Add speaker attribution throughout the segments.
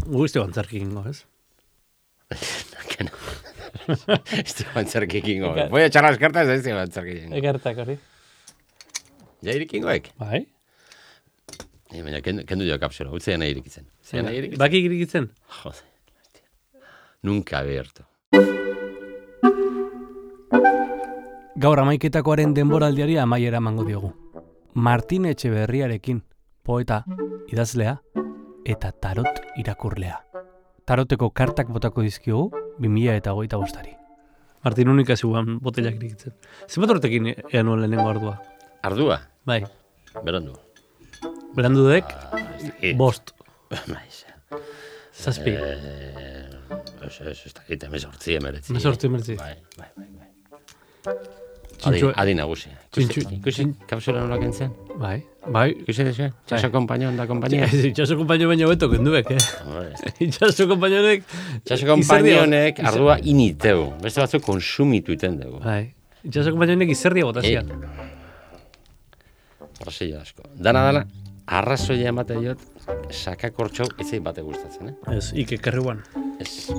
Speaker 1: Guzti antzerki egingo, ez?
Speaker 2: Ez dugu antzerki egingo. Voy a echar las cartas, ez dugu antzerki egingo.
Speaker 1: Egertak hori.
Speaker 2: Ja irikingoek?
Speaker 1: Bai.
Speaker 2: Baina, kendu jo kapsula, utzean nahi irikitzen.
Speaker 1: Baki irikitzen?
Speaker 2: Jode, nunca abierto.
Speaker 1: Gaur amaiketakoaren denboraldiari amaiera emango diogu. Martin Etxeberriarekin, poeta, idazlea eta tarot irakurlea. Taroteko kartak botako dizkiogu 2025. Martin unika zeuan botelak irikitzen. Zenbat urtekin ean nuen lehenengo ardua?
Speaker 2: Ardua?
Speaker 1: Bai.
Speaker 2: Berandu.
Speaker 1: Berandu dek, bost.
Speaker 2: Maiz.
Speaker 1: Zazpi.
Speaker 2: Ez dakit, emezortzi emeretzi.
Speaker 1: Bai.
Speaker 2: Adi nagusi. Ikusi, kapsula nola kentzen?
Speaker 1: Bai.
Speaker 2: Ikusi desu, txaso kompainion da kompainia.
Speaker 1: Itxaso kompainion baino beto kenduek, Itxaso kompainionek...
Speaker 2: Itxaso kompainionek ardua initeu. Beste batzuk konsumitu iten dugu.
Speaker 1: Bai. Itxaso kompainionek izerdia botazian.
Speaker 2: Brasilio asko. Dana, arrazoia emate diot, sakakortxau ezei bate gustatzen,
Speaker 1: Ez, ike kerruan.
Speaker 2: Ez.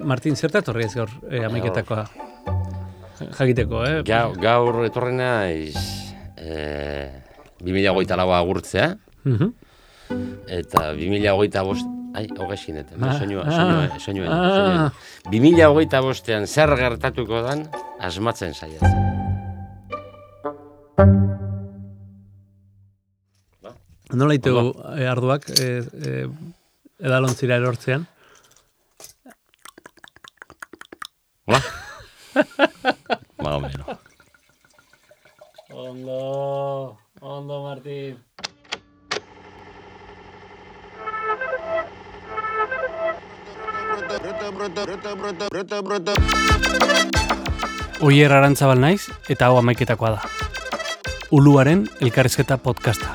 Speaker 1: Martin, zerta etorri ez gaur amaiketakoa? Jakiteko,
Speaker 2: Gaur etorrena 2024 agurtzea, eta 2025... Ai, hogezineten, soinua. 2025ean zer gertatuko dan, asmatzen saiatzen.
Speaker 1: Nola itegu arduak edalontzira erortzean?
Speaker 2: Hola? Más o menos.
Speaker 1: Ondo, Martín. Oier Arantzabal naiz eta hau amaiketakoa da. Uluaren elkarrizketa podcasta.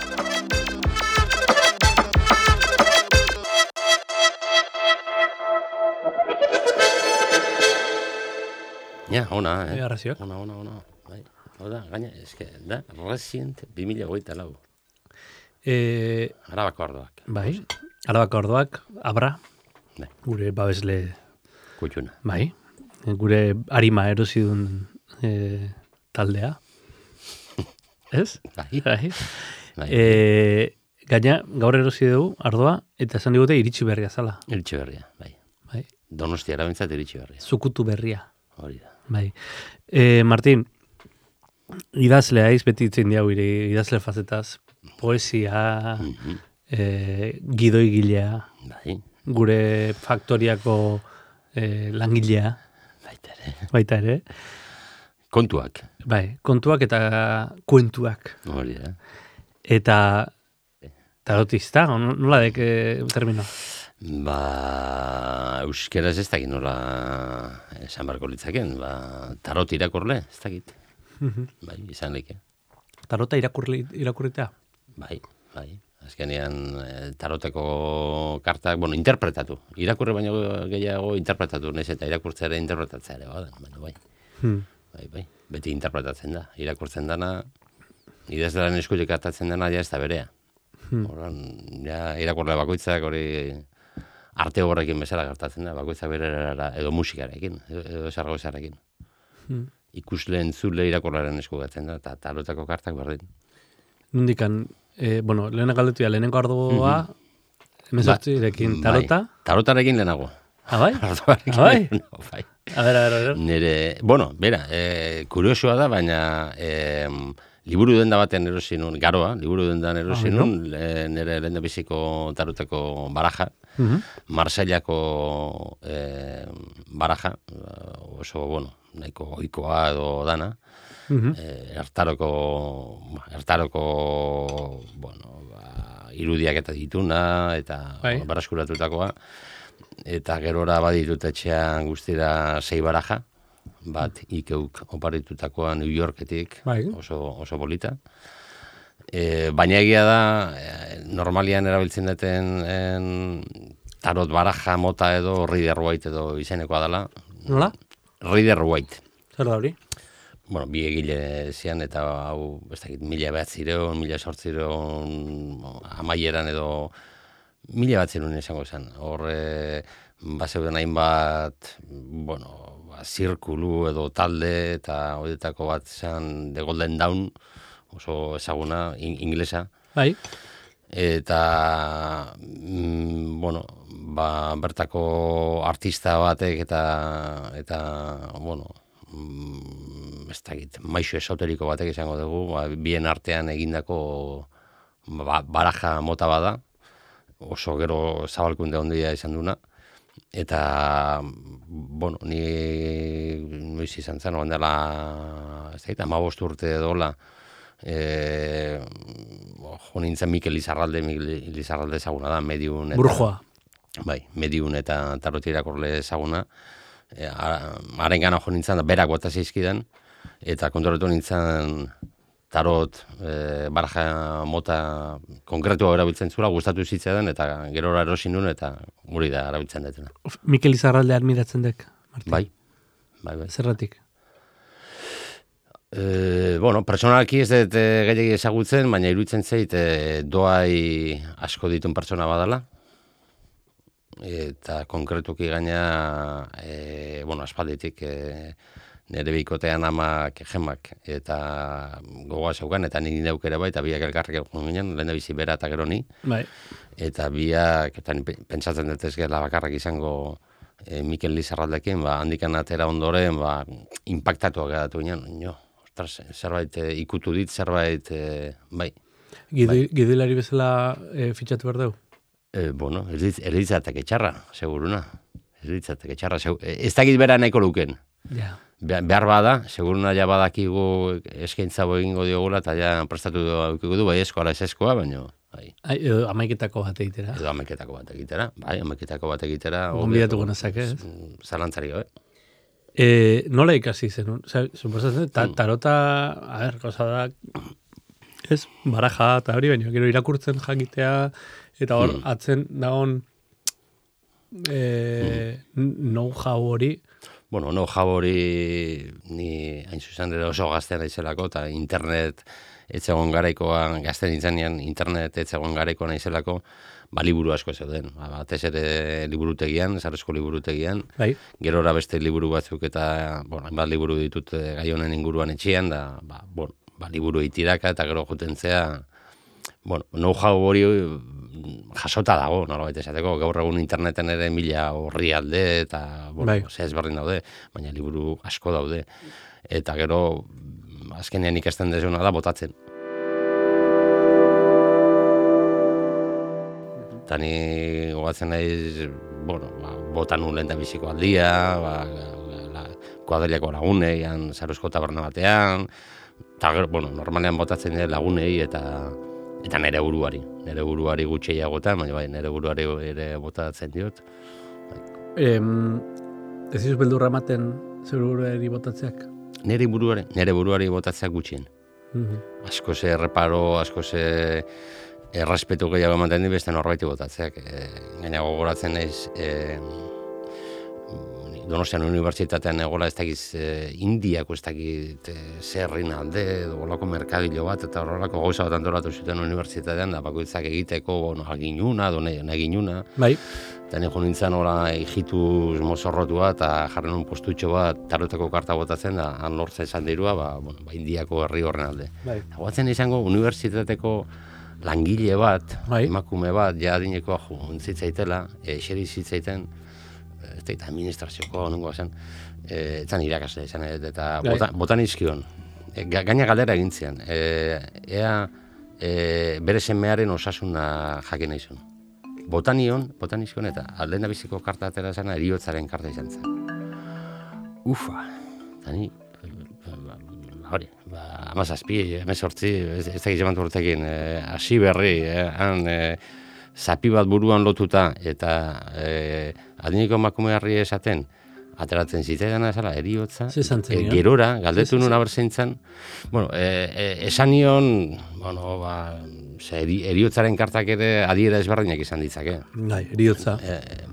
Speaker 2: Ja, ona,
Speaker 1: Arrazioak.
Speaker 2: Ona. Bai. Hau da, gaina, eske, da, recient 2024. Arabako ardoak.
Speaker 1: Bai, Arabako ardoak, Abra,
Speaker 2: Bai.
Speaker 1: Gure babesle...
Speaker 2: Kutxuna.
Speaker 1: Bai, gure arima erosidun taldea. Ez?
Speaker 2: Bai.
Speaker 1: Gaina, gaur erosi dugu ardoa, eta esan digute iritsi berria zala.
Speaker 2: Iritsi berria, bai.
Speaker 1: Bai.
Speaker 2: Donostia erabentzat iritsi berria.
Speaker 1: Zukutu berria.
Speaker 2: Hori da.
Speaker 1: Bai. Martin, idazlea beti itzen diau idazle fazetaz, poesia, gidoigilea,
Speaker 2: Bai.
Speaker 1: gure faktoriako langilea. Baita ere.
Speaker 2: Kontuak.
Speaker 1: Bai, kontuak eta kuentuak.
Speaker 2: Hori da.
Speaker 1: Eta tarotista, nola dek termino?
Speaker 2: Euskeraz ez dakit nola esan barko litzaken, tarot irakurle, ez dakit. Bai, izan leke.
Speaker 1: Tarota irakurritea?
Speaker 2: Bai. Azkenean taroteko kartak, interpretatu. Irakurri baino gehiago interpretatu, nez eta irakurtzea ere interpretatzea ere, bai. Bai. Beti interpretatzen da. Irakurtzen dana, idazlearen eskutik hartatzen dana, ja ez da berea. Horan, ja, irakurle bakoitzak hori arte horrekin bezala gertatzen da, bakoitzak berera edo musikarekin, edo esargozarekin. Ikusle entzule irakurlearen eskugatzen da, eta tarotako kartak berdin.
Speaker 1: Nundikan, lehenak galdetu lehenengo ardua, emezortzirekin tarota?
Speaker 2: Tarotarekin lehenago.
Speaker 1: Bai?
Speaker 2: Bai.
Speaker 1: A ver.
Speaker 2: Nire, kuriosua da, baina liburu denda batean erosi nun, garoa, liburu dendan erosi nun, nire lehendabiziko tarotako baraja, Marseillako baraja, oso, nahiko ohikoa edo dana, Ertaroko irudiak eta dituna, eta baraskuratutakoa, eta gerora baditut etxean guztira 6 baraja, bat ikeuk oparitutakoa New Yorketik, oso bolita. Baina egia da, normalian erabiltzen duten tarot baraja mota edo Rider Waite edo izenekoa dela.
Speaker 1: Nola?
Speaker 2: Rider Waite.
Speaker 1: Zer da hori?
Speaker 2: bueno, bi egile zian, eta hau, ez dakit, 1900, 1800 amaieran edo 1900 izango zen. Hor, bazeuden hainbat, bueno, zirkulu edo talde, eta horietako bat zen The Golden Dawn, oso ezaguna, inglesa.
Speaker 1: Bai.
Speaker 2: Eta, bueno, bertako artista batek eta bueno, ez dakit, maixo esoteriko batek izango dugu, bien artean egindako baraja mota bada, oso gero zabalkunde ondia izan duna, eta, bueno, ni noiz izan zen, oan dela, ez dakit, 15 urte dola, jo nintzen Mikel Lizarralde ezaguna da, mediun eta...
Speaker 1: Burjoa.
Speaker 2: Bai, mediun eta tarot irakurle ezaguna. Haren gana jo nintzen, berak bota zizkidan, eta konturatu nintzen tarot baraja mota konkretua erabiltzen zula, gustatu zitzaidan, eta gerora erosi nun, eta guri da erabiltzen detena.
Speaker 1: Mikel Lizarralde admiratzen dek, Martin?
Speaker 2: Bai.
Speaker 1: Zerratik?
Speaker 2: Bueno, personalki ez dut gehiagi ezagutzen, baina iruditzen zait doai asko ditun pertsona badala, eta konkretuki gaina, bueno, aspalditik nire bikotean amak gemak, eta gogoa zeukan, eta nik neuk ere bai, eta biak elkarrik egon ginen, lehen bizi bera eta gero ni,
Speaker 1: bai.
Speaker 2: Eta biak, eta pentsatzen dut ez gela bakarrak izango Mikel Lizarraldekin, handikan atera ondoren, impactatuak geratu ginen, zerbait ikutu dit, zerbait, bai.
Speaker 1: Gidoilari bezala fitxatu behar dugu?
Speaker 2: Bueno, eritzatek etxarra, seguruna. Eritzatek etxarra, ez dakit bera nahiko luken.
Speaker 1: Ja.
Speaker 2: Behar bada, seguruna ja badakigu eskaintza egingo diogula, eta ja prestatu du, bai eskoa, ez eskoa, baina...
Speaker 1: Edo amaiketako bat egitera.
Speaker 2: Bai, amaiketako bat egitera.
Speaker 1: Gonbidatuko nazak, ez?
Speaker 2: Zalantzari gabe.
Speaker 1: Nola ikasi zen? Suposatzen, tarota, gauza da, ez, baraja eta hori, baina gero irakurtzen jakitea, eta hor, atzen dagoen know-how hori.
Speaker 2: Bueno, know-how hori ni hain zuzen ere oso gaztean naizelako, eta internet etzegon garaikoan, gazten nintzenean internet etzegon garaikoan naizelako, liburu asko zeuden. Batez ere liburutegian, Sarrezko liburutegian.
Speaker 1: Bai.
Speaker 2: Gerora beste liburu batzuk eta, hainbat liburu ditut gai honen inguruan etxean, da, liburu itiraka eta gero jutentzea, know-how hori jasota dago, nolabait esateko, gaur egun interneten ere 1000 orrialde eta, ezberdin daude, baina liburu asko daude. Eta gero, azkenean ikasten dezuna da, botatzen. Eta ni gogatzen naiz, botan nuen lehen da biziko aldia, kuadriako lagunei, Sarrezko taberna batean, eta normalean botatzen dira lagunei eta nire buruari gutxeiagotan, baina nire buruari ere botatzen diot.
Speaker 1: Ez izuz beldurra ematen zure buruari botatzeak?
Speaker 2: Nire buruari botatzeak gutxien. Asko ze erreparo, asko ze errespetu gehiago ematen di beste norbaiti botatzeak. Gaina gogoratzen naiz, Donostian unibertsitatean egola ez dakiz Indiako ez dakit zerrin alde, olako merkadilo bat, eta horrelako gauza bat antolatu zuten unibertsitatean, da bakoitzak egiteko aginuna, naginuna.
Speaker 1: Bai.
Speaker 2: Eta niko nintzen hola hijituz mozorrotua eta jarren un postutxo bat taroteko karta botatzen da, han lortzen esan dirua, Indiako herri horren alde.
Speaker 1: Bai.
Speaker 2: Guatzen izango unibertsitateko langile bat, emakume bat, ja adinekoa zitzaitela, eseri zitzaiten, ez da administrazioko nungoa zen, etzan irakasle izan, eta botan izkion. Gaina galdera egintzean, ea bere semearen osasuna jakin nahi zuen. Botan izkion, eta aldena biziko karta atera zena eriotzaren karta izan zen. Ufa, eta ni, hori, 17, 18, ez da gizeman urtekin, hasi berri, han zapi bat buruan lotuta, eta adiniko emakumearri esaten, ateratzen zitzaidana ezala, eriotza, gerora, galdetu nuen abertzaintzan, esan nion, eriotzaren kartak ere adiera ezberdinak izan ditzake.
Speaker 1: Bai, eriotza.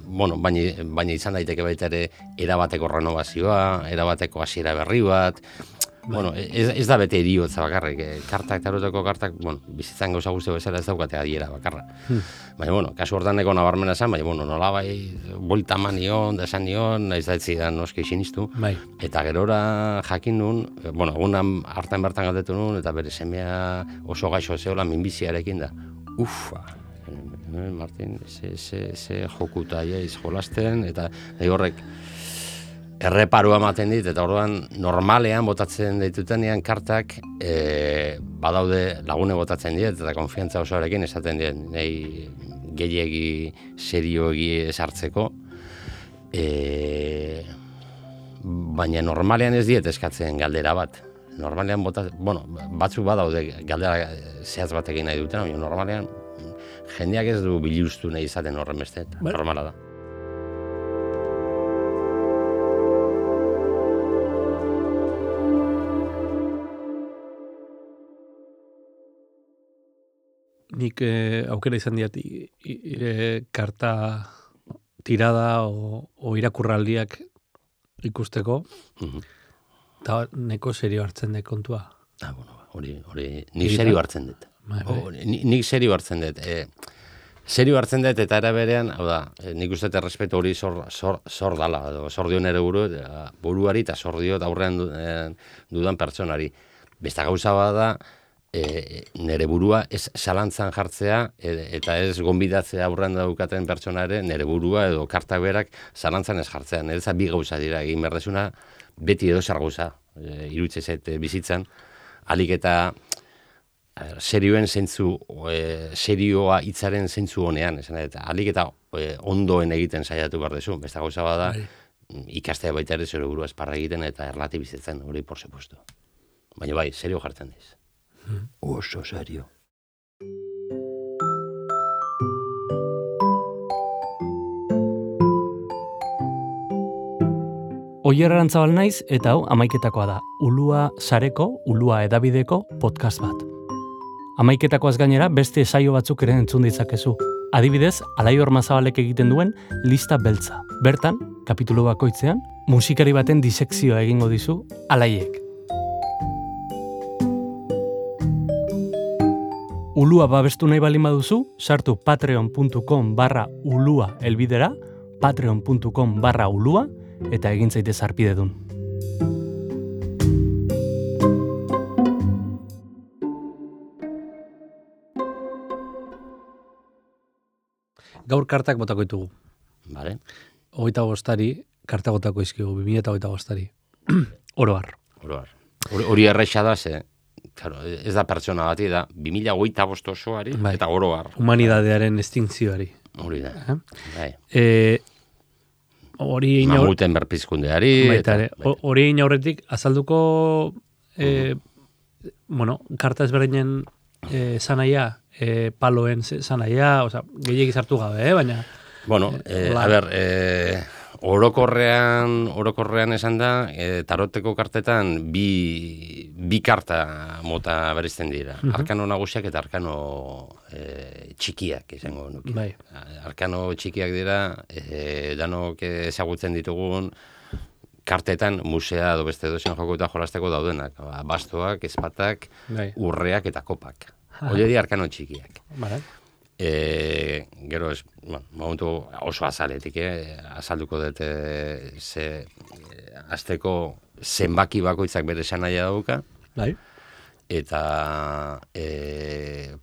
Speaker 2: Baina izan daiteke baita ere erabateko renovazioa, erabateko hasiera berri bat, Bueno, ez da bete eriotza bakarrik, kartak, taroteko kartak, bueno, bizitzan gauza guzti bezala ez daukate adiera bakarra. Baina, bueno, kasu hortan neko nabarmena esan, baina, bueno, nola bai, bolta eman nion, da esan nion, naiz da etzidan noski sinistu.
Speaker 1: Bai.
Speaker 2: Eta gerora jakin nun, bueno, egunan hartan bertan galdetu nun, eta bere semea oso gaixo zeola minbiziarekin da. Ufa, Martin, ze jokuta jolasten, eta horrek erreparua ematen dit, eta orduan normalean botatzen ditutenean kartak badaude lagune botatzen dit, eta konfiantza osoarekin esaten dit, nahi gehiegi serioegi esartzeko, baina normalean ez diet eskatzen galdera bat. Normalean batzuk badaude galdera zehatz batekin nahi duten, baina normalean jendeak ez du biluztu nahi izaten horren beste, normala da.
Speaker 1: Nik aukera izan diat karta tirada o irakurraldiak ikusteko, eta neko serio hartzen dut kontua.
Speaker 2: Hori, nik serio hartzen dut. Nik serio hartzen dut. Serio hartzen dut eta era berean, hau da, nik uste errespetu hori zor dala, zor dio nere buruari eta zor dio aurrean dudan pertsonari. Besta gauza bada, nere burua ez zalantzan jartzea eta ez gonbidatzea aurrean daukaten pertsona ere nere burua edo kartak berak zalantzan ez jartzea. Nereza bi gauza dira, egin berdezuna beti edo zer gauza, irutze zait bizitzan, alik eta serioen zentzu, serioa hitzaren zentzu honean, eta alik eta ondoen egiten saiatu berdezu. Besta gauza bada, ikastea baita ere zure burua esparra egiten eta erlatibizatzen, hori por supuesto. Baina bai, serio jartzen diz. Oso serio.
Speaker 1: Oier Arantzabal naiz eta hau amaiketakoa da. Ulua sareko, Ulua edabideko podcast bat. Amaiketakoaz gainera beste saio batzuk ere entzun ditzakezu. Adibidez, Alaior Mazabalek egiten duen Lista Beltza. Bertan, kapitulu bakoitzean, musikari baten disekzioa egingo dizu Alaiek. Ulua babestu nahi balin baduzu, sartu patreon.com/ulua elbidera, patreon.com/ulua, eta egin zaitez harpidedun. Gaur kartak botako ditugu.
Speaker 2: Vale.
Speaker 1: 25 karta botako izkigu, 2025. Oroar.
Speaker 2: Hori erraixa da, ze, claro, ez da pertsona bati, da 2025 osoari, eta oroar.
Speaker 1: Humanidadearen estintzioari.
Speaker 2: Hori da. Mamuten berpizkundeari.
Speaker 1: Hori egin aurretik, azalduko, karta ezberdinen zanaia, paloen zanaia, gehiagik sartu gabe, baina...
Speaker 2: Bueno, orokorrean esan da, taroteko kartetan bi karta mota berizten dira. Arkano nagusiak eta arkano txikiak izango nuke.
Speaker 1: Bai.
Speaker 2: Arkano txikiak dira, danok ezagutzen ditugun kartetan musea edo beste dozen joko eta jolasteko daudenak. Bastoak, ezpatak, urreak eta kopak. Hori dira arkano txikiak.
Speaker 1: Vale.
Speaker 2: Gero ez, momentu oso azaletik, azalduko dut azteko zenbaki bakoitzak bere esanaia dauka, eta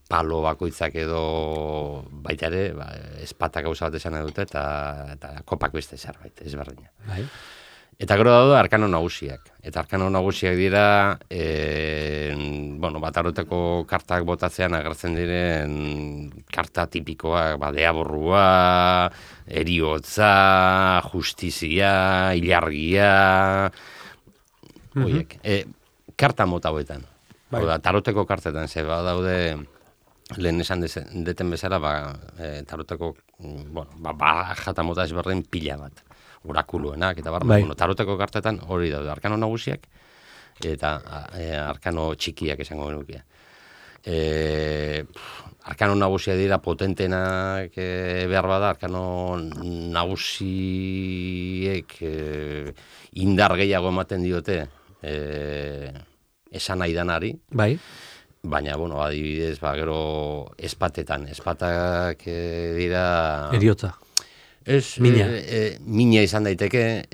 Speaker 2: palo bakoitzak edo baita ere, ezpatak gauza bat esan dute, eta kopak beste zerbait, ezberdina. Eta gero daude arkano nagusiak. Eta arkano nagusiak dira, taroteko kartak botatzean agertzen diren karta tipikoak, deaborrua, eriotza, justizia, ilargia, horiek. Karta mota hoetan. Taroteko kartetan, ze daude, lehen esan deten bezala, taroteko, jata mota ezberdin pila bat. Orakuluenak, eta taroteko kartetan hori daude, arkano nagusiak eta arkano txikiak esango genuke. Arkano nagusiak dira potentenak behar bada, arkano nagusiek indar gehiago ematen diote esan nahi danari.
Speaker 1: Bai.
Speaker 2: Baina, bueno, adibidez, gero espatetan. Espatak dira...
Speaker 1: Eriotza.
Speaker 2: Ez, mina izan daiteke,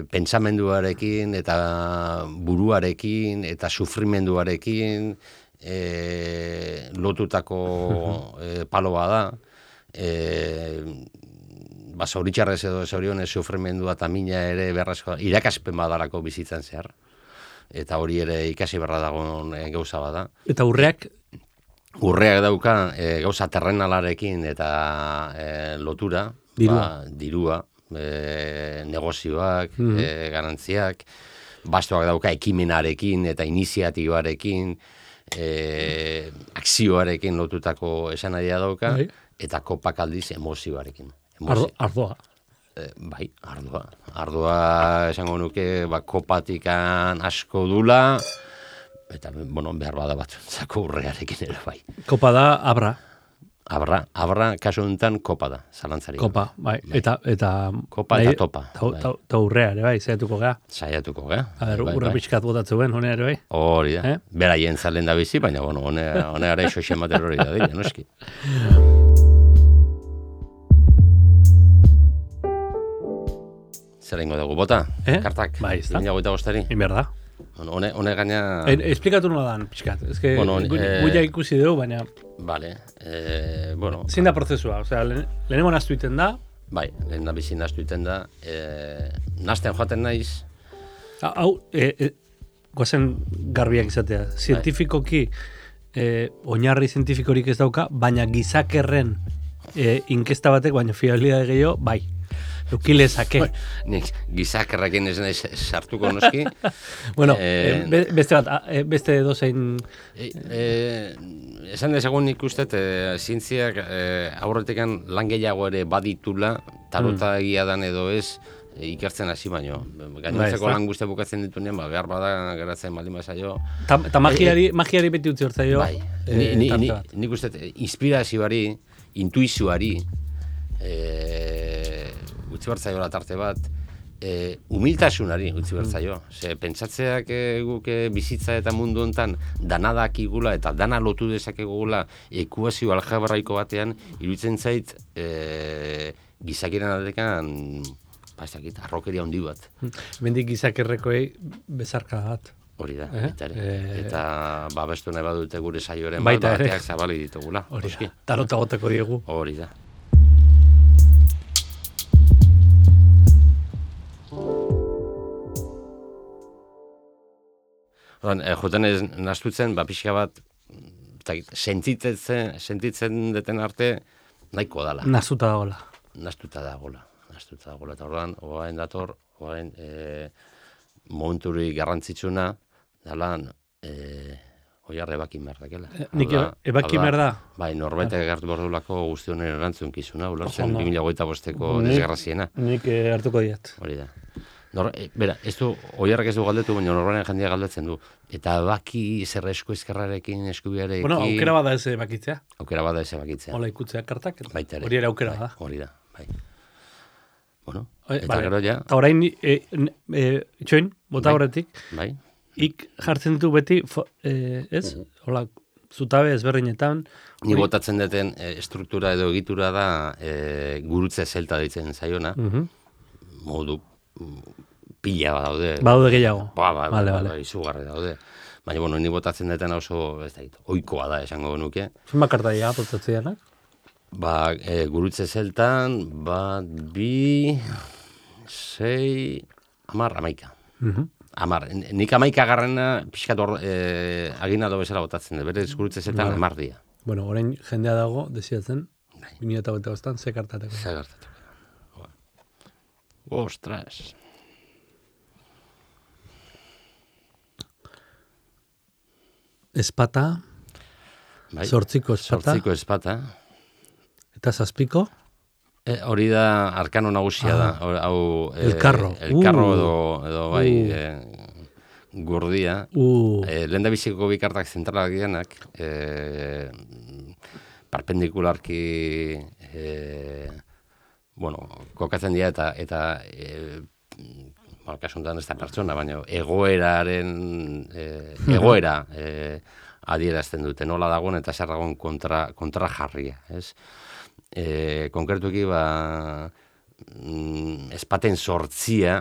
Speaker 2: pentsamenduarekin eta buruarekin eta sufrimenduarekin lotutako paloa da. Zoritxarrez edo zorionez sufrimendua eta mina ere berrazko irakaspen badarako bizitzen zehar. Eta hori ere ikasi berra dagoen gauza bada.
Speaker 1: Eta urreak?
Speaker 2: Urreak dauka gauza terrenalarekin eta lotura. Dirua, negozioak, garantziak, bastoak dauka ekimenarekin eta iniziatibarekin, akzioarekin lotutako esanahia dauka, eta kopak aldiz emozioarekin.
Speaker 1: Ardoa.
Speaker 2: Bai, ardoa. Ardoa esango nuke kopatikan asko dula, eta behar bada batzuntzako urrearekin ere bai.
Speaker 1: Kopa da abra.
Speaker 2: Abra, kasu honetan kopa da, zalantzari.
Speaker 1: Kopa, bai. Eta
Speaker 2: kopa eta topa.
Speaker 1: Eta urrea ere, bai, saiatuko gea.
Speaker 2: Saiatuko gea.
Speaker 1: Urra pixkat botatzen, honea ere, bai.
Speaker 2: Hori da. Beraien zalen da bizi, baina, honea gara iso xemater hori da, dira, noski. Zer ingo dugu, bota? Kartak?
Speaker 1: Bai, ez da.
Speaker 2: 2025.
Speaker 1: Inberda.
Speaker 2: Hone gaina...
Speaker 1: Esplikatu nola dan, pixkat. Ez que guia ikusi dugu, baina...
Speaker 2: Vale,
Speaker 1: Zein da prozesua, osea, lehenengo naztu iten da?
Speaker 2: Bai, lehen da bizi naztu iten da. Nazten joaten naiz.
Speaker 1: Hau, goazen garbiak izatea. Zientifikoki, oinarri zientifikorik ez dauka, baina gizakerren inkesta batek, baina fiabilidade gehiago, bai. Eukilezake.
Speaker 2: Nik gizakerrakin ez nahi sartuko noski.
Speaker 1: Bueno, beste dozein...
Speaker 2: Esan dezagun nik ustet, zientziak aurretikan lan gehiago ere baditula, tarota egia dan edo ez, ikertzen hasi baino. Gainontzeko lan guztia bukatzen ditunean, behar bada geratzen baldin bazaio.
Speaker 1: Eta magiari beti utzi hortzaio.
Speaker 2: Bai, nik ustet, inspirazioari, intuizioari, utzi bertzaio tarte bat, humiltasunari utzi bertzaio. Pentsatzeak guk bizitza eta mundu hontan dana dakigula eta dana lotu dezakegula ekuazio algebraiko batean, iruditzen zait gizakiren aldekan arrokeria handi bat.
Speaker 1: Bendik gizakerrekoei bezarka bat.
Speaker 2: Hori da, eta babestu nahi badute gure saioaren bateak zabali ditugula.
Speaker 1: Hori da, tarota goteko diegu.
Speaker 2: Hori da. Joten ez nastutzen, pixka bat, sentitzen deten arte, nahiko dala.
Speaker 1: Nastuta dagoela.
Speaker 2: Nastuta dagoela. Eta orduan, oain dator, momenturi garrantzitsuna, dalan, oiar ebakin behar dakela.
Speaker 1: Nik ebakin behar da?
Speaker 2: Bai, norbait egartu bordulako guztionen erantzun kizuna, ulertzen 2025ko desgraziena.
Speaker 1: Nik hartuko diat.
Speaker 2: Hori da. Bera, oiarrak ez du galdetu, baina norbanen jendia galdetzen du. Eta baki zer esku ezkerrarekin, eskubiarekin...
Speaker 1: Bueno, aukera bada ez bakitzea.
Speaker 2: Aukera bada ez bakitzea.
Speaker 1: Hola ikutzea kartak.
Speaker 2: Baita ere.
Speaker 1: Hori ere aukera da.
Speaker 2: Hori da, bai. Bueno, eta gero ja...
Speaker 1: Eta orain, itxoin, bota horretik.
Speaker 2: Bai.
Speaker 1: Ik jartzen ditu beti, ez? Hola, zutabe ezberdinetan.
Speaker 2: Ni botatzen duten struktura edo egitura da gurutze zelta ditzen zaiona. Modu pila daude.
Speaker 1: Badaude gehiago.
Speaker 2: Ba, izugarri daude. Baina, bueno, ni botatzen deten oso, ez da, oikoa da esango nuke.
Speaker 1: Zun bakartaia botatzen denak?
Speaker 2: Ba, gurutze zeltan, 1, 2, 6, 10, 11. 10. Nik 11 garrena pixkat aginado bezala botatzen dut. Berez gurutze zeltan 10 dia.
Speaker 1: Bueno, orain jendea dago, desiatzen, 2008an, ze kartateko.
Speaker 2: Ze kartateko. Ostras.
Speaker 1: Espata.
Speaker 2: Bai.
Speaker 1: Zortziko espata.
Speaker 2: Zortziko espata.
Speaker 1: Eta zazpiko?
Speaker 2: Hori da arkano nagusia da.
Speaker 1: Elkarro.
Speaker 2: Elkarro edo bai gurdia. Lehen da biziko bikartak zentralak dianak. Perpendikularki... kokatzen dira eta kasuntan ez da pertsona, baina egoeraren egoera adierazten dute, nola dagoen eta zer dagoen kontra jarria, ez? Konkretuki, espaten sortzia,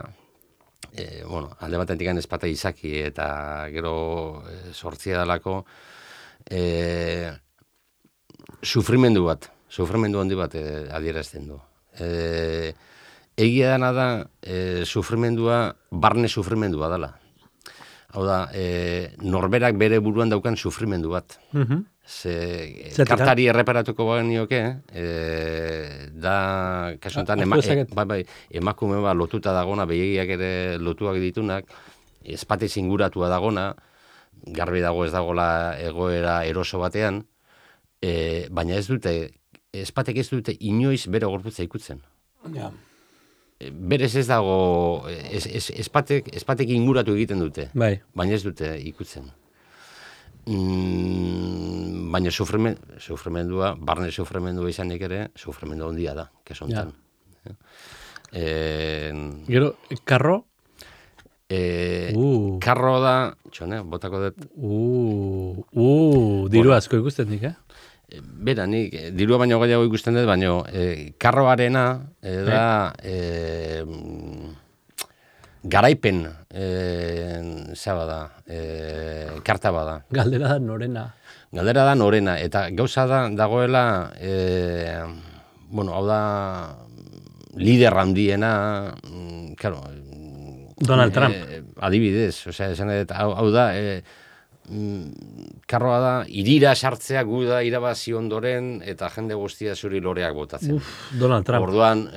Speaker 2: alde batetik espata izaki eta gero sortzia dalako, sufrimendu handi bat adierazten du. Egia dana da, sufrimendua, barne sufrimendua dela. Hau da, norberak bere buruan daukan sufrimendu bat. Kartari erreparatuko bagenioke, da, kasuntan, emakume lotuta dagona, begiak ere lotuak ditunak, espate zinguratua dagona, garbi dago ez dagoela egoera eroso batean, baina espatek ez dute inoiz bere gorputza ikutzen.
Speaker 1: Ja.
Speaker 2: Berez ez dago, espatek inguratu egiten dute, baina ez dute ikutzen. Baina sufrimendua, barne sufrimendua izanik ere, sufrimendu handia da, kesontan.
Speaker 1: Gero, karro?
Speaker 2: Karro da, txone, botako dut.
Speaker 1: Diru asko ikusten dik,
Speaker 2: Bera, nik dirua baino gehiago ikusten dut, baino karroarena da garaipen zaba da, karta bada.
Speaker 1: Galdera da norena.
Speaker 2: Galdera da norena, eta gauza da dagoela, hau da lider handiena, claro,
Speaker 1: Donald Trump.
Speaker 2: Adibidez, hau da, karroa da, irira sartzea gu da irabazi ondoren eta jende guztia zuri loreak botatzen.
Speaker 1: Donald Trump.
Speaker 2: Orduan,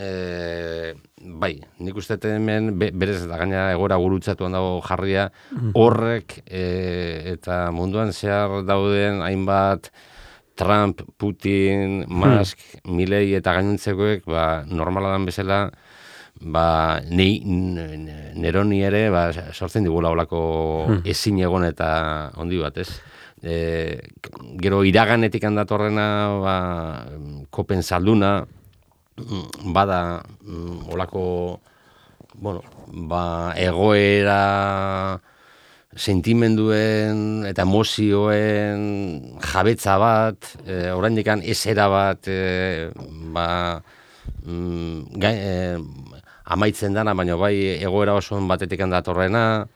Speaker 2: bai, nik uste hemen berez da gaina egora gurutzatuan dago jarria, horrek eta munduan zehar dauden hainbat Trump, Putin, Musk, Milley eta gainontzekoek, normala dan bezala, neroni ere sortzen digula olako ezin egon eta ondi bat, ez? Gero iraganetik handatorrena kopen salduna bada olako egoera sentimenduen eta emozioen jabetza bat, oraindikan esera bat amaitzen dana, baina bai egoera oso batetik handatorrena,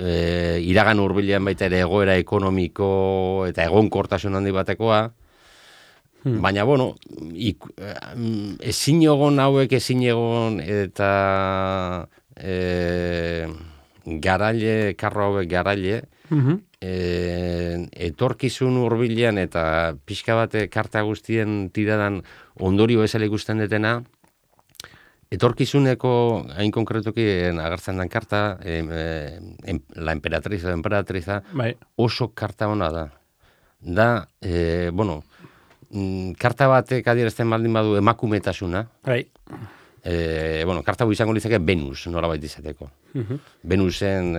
Speaker 2: iragan hurbilean baita ere egoera ekonomiko eta egonkortasun handi batekoa, baina, ezin egon hauek ezin egon eta karro hauek garaile, etorkizun hurbilean eta pixka bate karta guztien tiradan ondorio bezala ikusten detena, etorkizuneko, hain konkretuki agertzen den karta, la emperatriza, oso karta hona da. Da, karta batek adierazten baldin badu emakumetasuna, karta hau izango litzake Venus, nolabait izateko. Venusen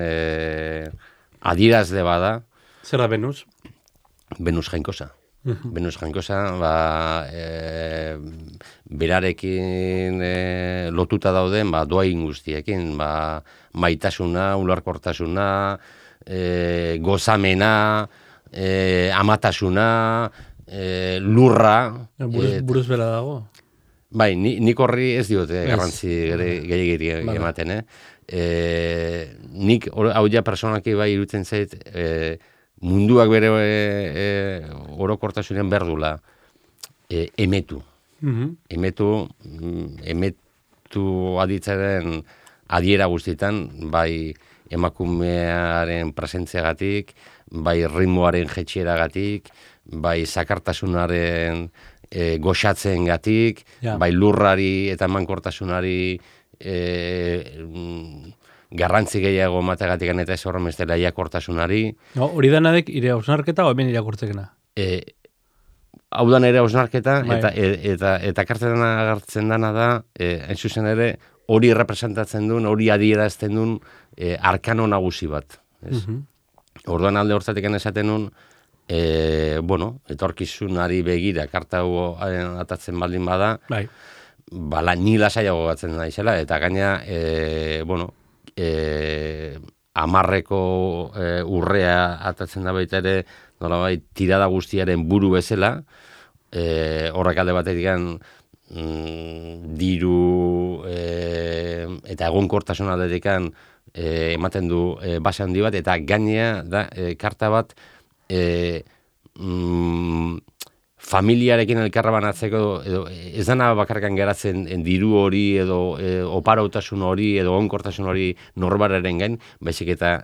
Speaker 2: adierazle bada.
Speaker 1: Zer da Venus?
Speaker 2: Venus jainkosa. Venus jainkosa, berarekin lotuta dauden, doain guztiekin, maitasuna, ularkortasuna, gozamena, amatasuna, lurra.
Speaker 1: Buruz bera dago?
Speaker 2: Bai, nik horri ez diote garrantzi gehiagiri ematen, nik hau ja personaki bai irutzen zait, munduak bere orokortasunen berdula emetu. Emetu aditzaren adiera guztietan, bai emakumearen presentziagatik, bai ritmoaren jetxieragatik, bai zakartasunaren goxatzengatik, bai lurrari eta emankortasunari garrantzi gehiago mategatik eta ez horren bestela iakortasunari.
Speaker 1: Hori danadek ire hausnarketa o hemen irakurtzekena?
Speaker 2: Hau da nire hausnarketa eta kartzen agertzen dana da, hain zuzen ere, hori representatzen duen, hori adierazten duen arkano nagusi bat. Orduan alde hortzatik esaten duen, etorkizunari begira karta hau atatzen baldin bada, ni lasaiago gatzen naizela, eta gaina, amarreko urrea atatzen da baita ere, nolabait tirada guztiaren buru bezala, horrek alde batetik diru eta egonkortasun aldetik ematen du base handi bat, eta gainea da karta bat familiarekin elkarra banatzeko, edo ez dana bakarkan geratzen diru hori edo oparautasun hori edo egonkortasun hori norbararen gain, baizik eta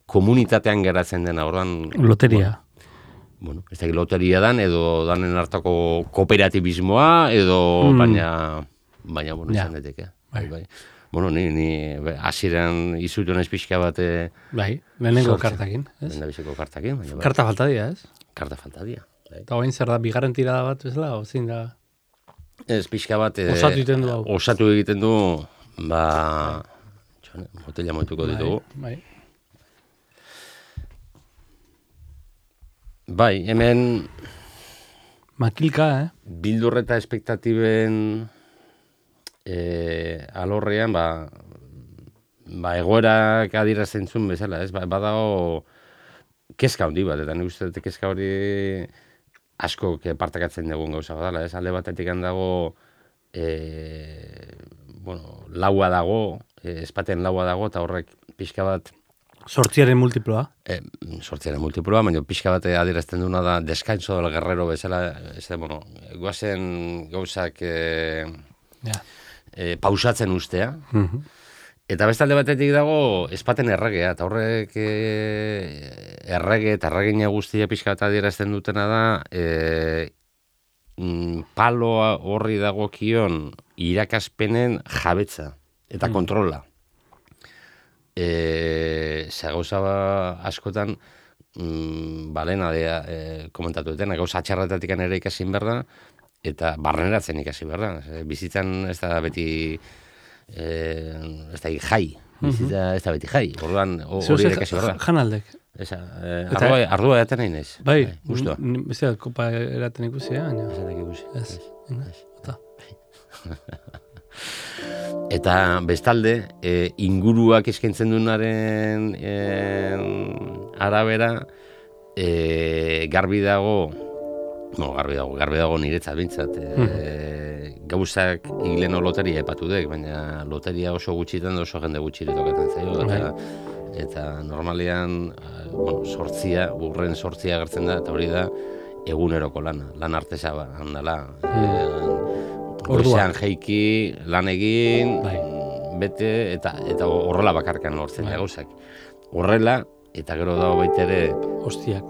Speaker 2: komunitatean geratzen dena, orduan
Speaker 1: Loteria.
Speaker 2: Bueno, ez da loteria dan, edo danen hartako kooperatibismoa, edo baina bueno, izan daiteke. Bai. Bueno, ni hasieran izutu naiz pixka bat...
Speaker 1: Bai, lehenengo kartakin, ez?
Speaker 2: Lehenengo kartakin.
Speaker 1: Karta falta dira, ez?
Speaker 2: Karta falta dira.
Speaker 1: Eta hoin zer da, bigarren tirada bat, bezala, ozin da?
Speaker 2: Ez, pixka bat...
Speaker 1: Osatu egiten du hau.
Speaker 2: Osatu egiten du, botella moituko ditugu.
Speaker 1: Bai.
Speaker 2: Bai, hemen...
Speaker 1: Makilka,
Speaker 2: Bildur eta espektatiben alorrean, egoerak adierazten zuen bezala, ez? Badago kezka handi bat, eta nik uste dut kezka hori asko partekatzen dugun gauza badala, ez? Alde batetik handago, laua dago, espaten laua dago, eta horrek pixka bat
Speaker 1: Sortziaren multiploa.
Speaker 2: Sortziaren multiploa, baina pixka bat adierazten duna da descanso del guerrero bezala, guazen gauzak pausatzen ustea. Eta beste alde batetik dago espaten erregea, eta horrek errege eta erregina guztia pixka bat adierazten dutena da paloa horri dagokion irakaspenen jabetza eta kontrola. Gauza askotan balena komentatu dutena, gauza atxarretatik ere ikasin behar da, eta barreneratzen ikasi behar da. Bizitzan ez da beti ez da jai, bizitza ez da beti jai, orduan hori ere ikasi behar da.
Speaker 1: Janaldek.
Speaker 2: Ardua eraten nahi naiz.
Speaker 1: Bai,
Speaker 2: gustua.
Speaker 1: Beste kopa eraten ikusi, baina.
Speaker 2: Ez. Eta bestalde, inguruak eskaintzen duenaren arabera, garbi dago niretzat bintzat. Gauzak hileno loteria epatu dek, baina loteria oso gutxitan oso jende gutxire tokatzen zaio. Eta normalean, urren sortzia agertzen da, eta hori da eguneroko lana, lan artesa handala. Goizean jeiki, lan egin, bete, eta horrela bakarkan lortzen gauzak. Horrela, eta gero dago baitere...
Speaker 1: Ostiak.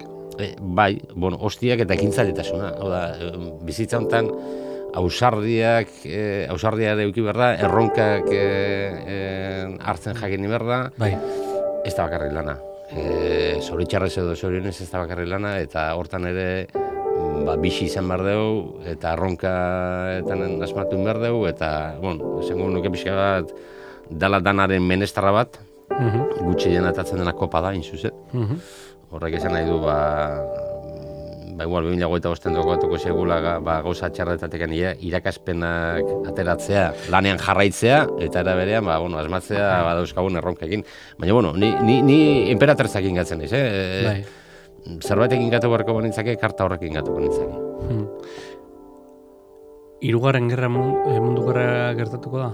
Speaker 2: Ostiak eta ekintzaletasuna. Bizitza honetan, ausardiare euki behar da, erronkak hartzen jakin behar da, ez da bakarrik lana. Zoritxarrez edo zorionez ez da bakarrik lana, eta hortan ere bixi izan behar dugu, eta erronkaetan asmatu behar dugu, eta, esango nuke pixka bat, dala danaren menestarra bat, gutxi denatatzen dena kopa da, inzuzet. Horrek esan nahi du, igual 2025 tokatuko segula gauza txarretatik irakaspenak ateratzea, lanean jarraitzea, eta era berean, asmatzea dauzkagun erronkekin. Baina, ni emperatrezak ingatzen naiz, Zerbaitek ingatu beharko banitzake, karta horrek ingatu banitzake.
Speaker 1: Hirugarren gerra mundu gerra gertatuko da?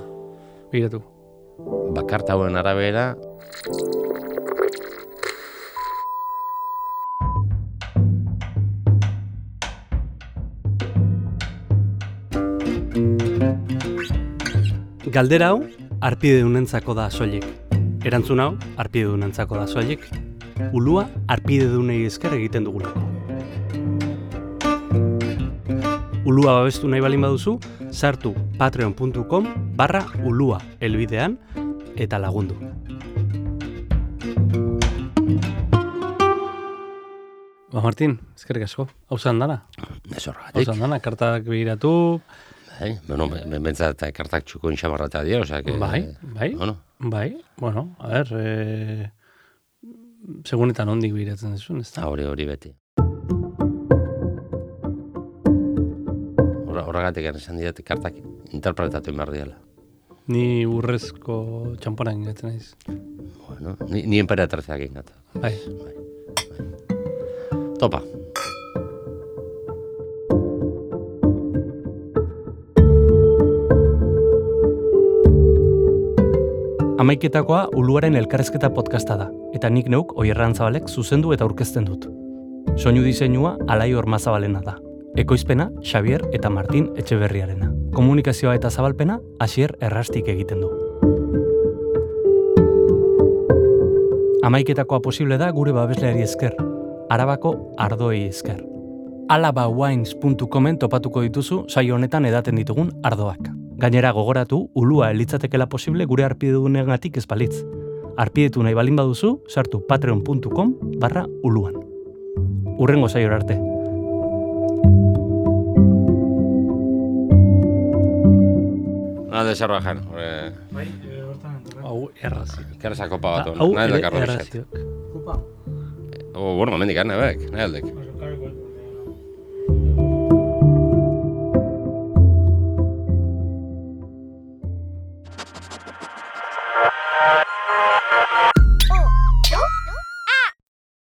Speaker 1: Begiratu.
Speaker 2: Karta hauen arabera...
Speaker 1: Galdera hau, arpidedunentzako da soilik. Erantzun hau, arpidedunentzako da soilik. Ulua arpidedunei esker egiten dugulako. Ulua babestu nahi balin baduzu, sartu patreon.com/ulua helbidean eta lagundu. Martin, eskerrik asko. Hauzan dana?
Speaker 2: Ez horregatik.
Speaker 1: Hauzan dana, kartak begiratu...
Speaker 2: Bentzat kartak txuko intxabarrata dira,
Speaker 1: segunetan ondik begiratzen duzun, ez da?
Speaker 2: Hori beti. Horregatik esan dira, kartak interpretatu behar diala.
Speaker 1: Ni urrezko txampona ingatzen naiz.
Speaker 2: Bueno, ni emperatrazeak ingat.
Speaker 1: Bai.
Speaker 2: Topa.
Speaker 1: Amaiketakoa Uluaren elkarrezketa podcasta da, eta nik neuk Oier Arantzabalek zuzendu eta aurkezten dut. Soinu diseinua Alai Ormazabalena da. Ekoizpena Xavier eta Martin Etxeberriarena. Komunikazioa eta zabalpena Asier Errastik egiten du. Amaiketakoa posible da gure babesleari esker, Arabako ardoei esker. alabawines.comen topatuko dituzu saio honetan edaten ditugun ardoak. Gainera gogoratu, ulua elitzatekela posible gure arpidedunengatik ez balitz. Arpidetu nahi balin baduzu, sartu patreon.com/uluan. Hurrengo saiora arte.
Speaker 2: Nada de Sarbajan.
Speaker 3: Bai, hortan entorren.
Speaker 1: Hau errazio.
Speaker 2: Ikerrezako pa bat.
Speaker 1: Hau
Speaker 2: Nahi
Speaker 1: ere
Speaker 2: dakarro
Speaker 1: errazio.
Speaker 3: Kupa.
Speaker 2: Bueno, momendik, nahi aldek.